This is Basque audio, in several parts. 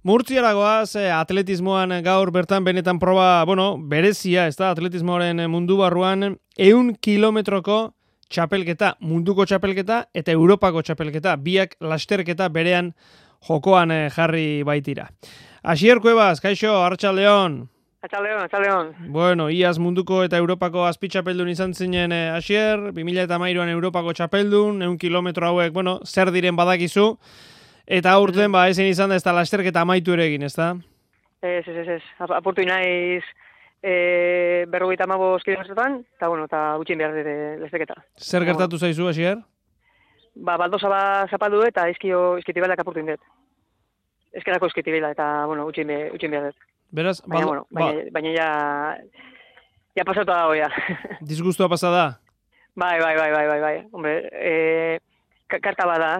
Murtziaragoaz, atletismoan gaur bertan benetan proba, berezia, ez da, atletismoaren mundu barruan, 100 kilometroko txapelketa, munduko txapelketa eta Europako txapelketa, biak lasterketa berean jokoan jarri baitira. Asier Cuevas, kaixo, arratsaldeon. Arratsaldeon. Bueno, iaz munduko eta Europako azpitxapeldun izan zinen Asier, 2013an Europako txapeldun, 100 kilometro hauek, zer diren badakizu, eta aurten, ezin izan da ez da lasterketa amaitu ere egin, ez da? Ez. Apurtu naiz 55 kilometrotan, eta gutxien behar dira lasterketa. Zer gertatu zaizu, Asier? Baldosa zapaldu eta izkitibalak apurtu indet. Ezkerako izkitibela eta, gutxien behar dut. Beraz, baina ja pasatu dago, ja. Disgustua pasada? Bai. Hombre, karta bada,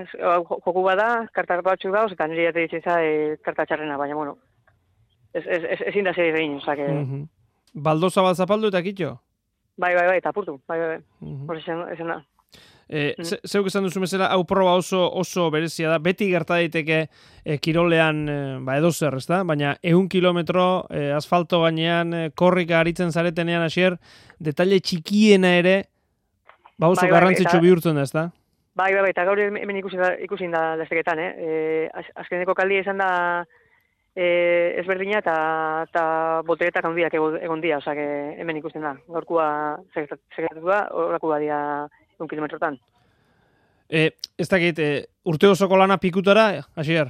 joku bada, karta batzu dauz, eta nire jate ditzen za, karta txarrena, baina, ezin da zer egin, osake. Baldosa bat zapaldu eta kitxo? Bai, eta apurtu, bai. Ezen da. Zeuk esan duzu mesela, hau proba oso berezia da, beti gerta daiteke kirolean edo zer, ez da? Baina 100 kilometro asfalto gainean korrika aritzen zaretenean, Asier, detalle txikiena ere, oso garrantzitsu bihurtzen da, ez da? Bai, eta gaur hemen ikusin da lasterketan, azkeneko kaldia izan da ezberdina eta boteretak handiak egon dia, osake hemen ikusten da. Gaurkua segratu da, horakua dia 1 kilometrotan. Ez dakit, urte osoko lana pikutara, Asier?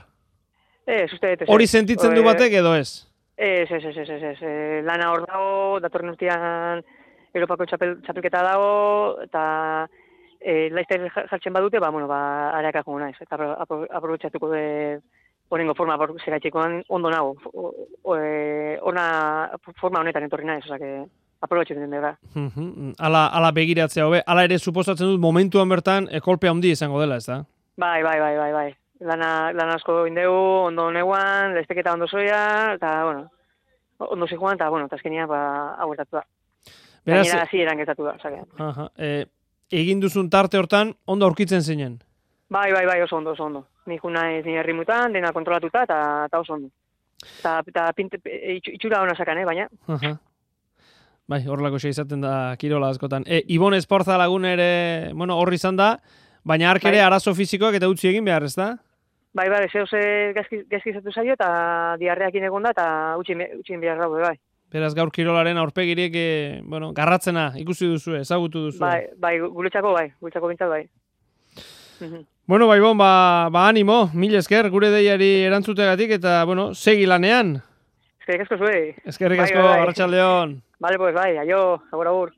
Uste. Hori sentitzen du batek edo ez? Ez. Lana hor dago, datorren urtean Europako txapelketa dago, eta laizter jartzen badute, areakak jongo naiz, eta aprobetxatuko de horrengo forma segaitxekoan ondo nago. Forma honetan etorri naiz, osake aprobetxatzen dira. Ala begiratzea hobe, ala ere suposatzen dut momentuan bertan kolpe handi izango dela, ez da? Bai. Lana asko indegu, ondo neguan, laizteketa ondo zoia, eta, ondo zikoan, eta azkenia hauertatu da. Gainera hasieran gertatu da, osake. Egin duzun tarte hortan, ondo aurkitzen zinen? Bai, oso ondo. Ni naiz ni herrimutan, dena kontrolatuta, eta oso ondo. Eta itxura hona sakan, baina. Bai, horrelako xe izaten da kirola askotan. Ibon Esporza lagun ere, horri izan da, baina ark ere arazo fizikoak eta utzi egin behar, ez da? Bai, zehose gazkizatu zaio, eta diarreakin egon da, eta utxin behar daude, bai. Beraz, gaur kirolaren aurpegirik, garratzena ikusi duzu, ezagutu duzu. Bai, guretzako bintzat, bai. Bueno, Ibon, animo, mil esker, gure deiari erantzutegatik, eta, segi lanean. Eskerrik asko zuei. Eskerrik asko, arratsaldeon. Vale, pues, bai, aio, agur.